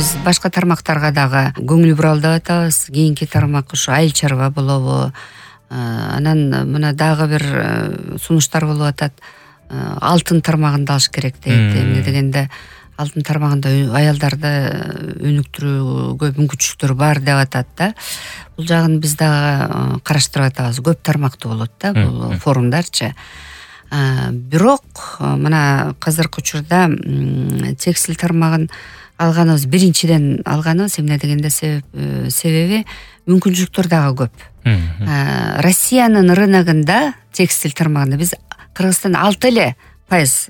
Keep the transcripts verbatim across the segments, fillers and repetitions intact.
биз башка тармактарга дагы көңүл бура алып атабыз. Кийинки тармак ушу айыл чарба болобу. Анан мына дагы бир сунуштар болуп атат. Алтын тармагында алыш керек дейт. Эмне дегенде алтын тармагында аялдарды өнүктүрүүгө мүмкүнчүлүктөр бар деп атат да. Бул жагын биз дагы караштырып атабыз. Көп тармактуу болот да бул форумдарчы. Бирок мына азыркы учурда текстиль тармагын алганыбыз биринчиден алганыбыз эмне дегенде себеби мүмкүнчүлүктөр дагы көп. Россиянын рыногунда текстиль тармагында биз Кыргызстан алты эле пайыз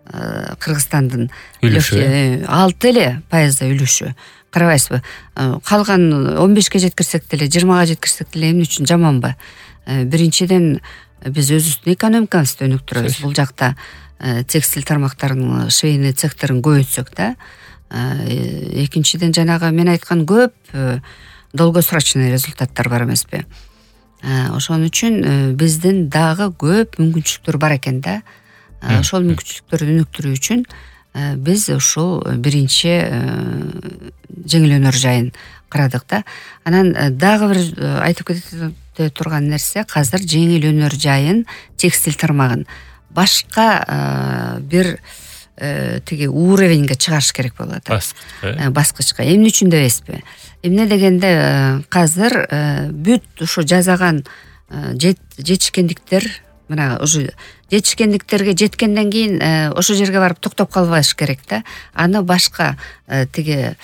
Кыргызстандын үлүшү алты эле пайызда үлүшү. Карабайсызбы? Калган он бешке жеткирсек деле, жыйырмага жеткирсек деле эмне үчүн жаманбы? Биринчиден биз өзүбүздүн экономикабызды өнүктүрөбүз. Бул жакта текстиль тармактарынын швейный цехтерин көбөйтсөк да. Экинчиден жанагы мен айткан көп долгосрочный результаттар бар эмеспи? Ошон үчүн биздин дагы көп мүмкүнчүлүктөр бар экен да. Ошол мүмкүнчүлүктөрдү өнүктүрүү үчүн биз ушул биринчи жеңил өнөр жайын карадык да. Анан дагы бир айтып кете турган нерсе, азыр жеңил өнөр жайын текстиль тармагын башка бир тиги уровеньге чыгарыш керек болуп атат. Баскычка. Эмне үчүн дебейсизби? Эмне дегенде азыр бүт ушу жасаган жетишкендиктер, мына уже жетишкендиктерге жеткенден кийин ошол жерге барып токтоп калбаш керек да. Аны башка тиги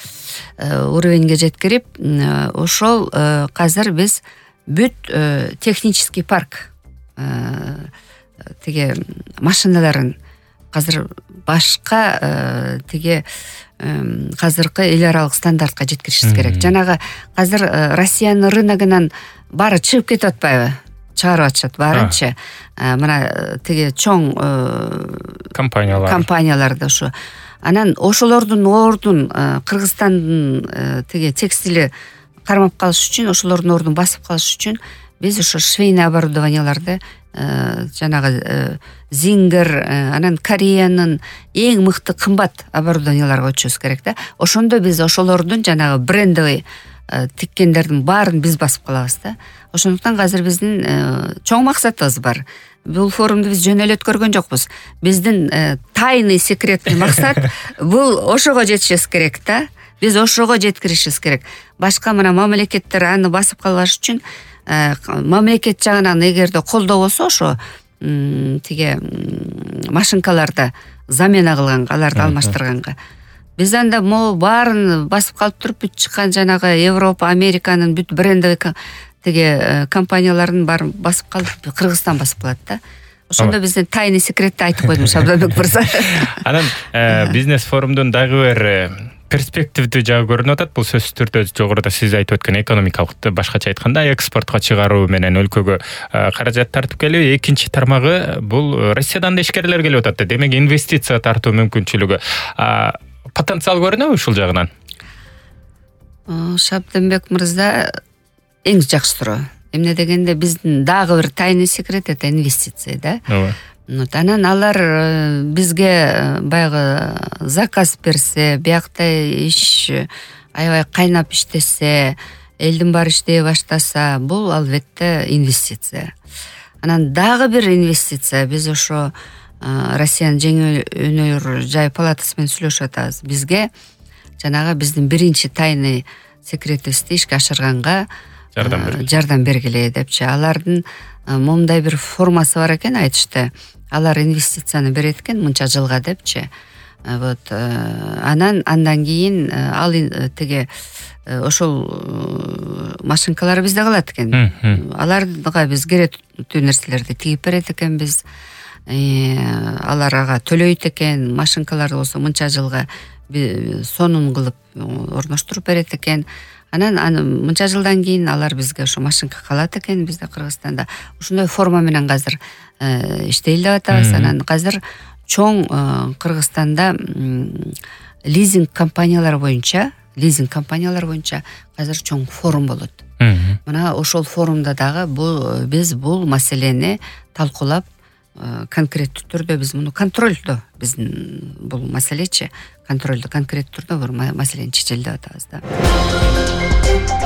уровеньге жеткирип, ошол азыр биз бүт технический парк тиги машиналарын азыр башка тиги азыркы эл аралык стандартка жеткиришибиз керек. Жанагы азыр Россиянын рыногунан баары чыгып кетип атпайбы? Чыгарып атышат баарынчы. Мына тиги чоң компаниялар. Компанияларда ушу. Анан ошолордун ордун Кыргызстандын тиги текстили кармап калыш үчүн, ошолордун ордун басып калыш үчүн биз ошо швейный оборудованияларды жанагы Зингер, анан Кореянын эң мыкты кымбат оборудованияларга өтүшүбүз керек да. Ошондо биз ошолордун жанагы брендовый тиккендердин баарын биз басып калабыз да. Ошондуктан азыр биздин чоң максатыбыз бар. Бул форумду биз жөн эле өткөргөн жокпуз. Биздин тайный секретный максат бул ошого жетишибиз керек да. Биз ошого жеткиришибиз керек. Башка мына мамлекеттер аны басып калбаш үчүн мамлекет жагынан эгерде колдоо болсо, ошо тиги машинкаларды замена кылганга, аларды алмаштырганга, биз анда могу баарын басып калып туруп бүт чыккан жанагы Европа, Американын бүт брендовый тиги компанияларын баарын басып калып Кыргызстан басып калат да. Ошондо биздин тайный секретти айтып койдум Шабданбек мырза. Анан бизнес форумдун дагы бир перспективдүү жагы көрүнүп атат. Бул сөзсүз түрдө жогоруда сиз айтып өткөн экономикалык, башкача айтканда экспортко чыгаруу менен өлкөгө каражат тартып келүү. Экинчи тармагы бул Россиядан да ишкерлер келип атат. Демек инвестиция тартуу мүмкүнчүлүгү, потенциал көрүнөбү ушул жагынан? Шабданбек мырза эң жакшы суроо. Эмне дегенде биздин дагы бир тайный секрет это инвестиция да. Ооба. Анан алар бизге баягы заказ берсе, биякта иш аябай кайнап иштесе, элдин баары иштей баштаса, бул албетте инвестиция. Анан дагы бир инвестиция, биз ошо Россиянын жеңил өнөр жай палатасы менен сүйлөшүп атабыз. Бизге жанагы биздин биринчи тайный секретибизди ишке ашырганга жардам бергиле депчи. Алардын момундай бир формасы бар экен, айтышты. Алар инвестицияны берет экен мынча жылга депчи. Вот анан андан кийин ал тиги ошол машинкалар бизде калат экен. Аларга биз керектүү нерселерди тигип берет экенбиз. Аларга төлөйт экен, машинкаларды болсо мынча жылга сонун кылып орноштуруп берет экен. Анан аны мынча жылдан кийин алар бизге ошо машинка калат экен бизде Кыргызстанда. Ушундай форма менен азыр иштейли деп атабыз. Анан азыр чоң Кыргызстанда лизинг компаниялары боюнча, лизинг компаниялары боюнча азыр чоң форум болот. Мына ошол форумда дагы бул биз бул маселени талкуулап конкреттүү түрдө биз муну контролдо, биздин бул маселечи контролдо конкреттүү түрдө бир маселени чечели деп атабыз да.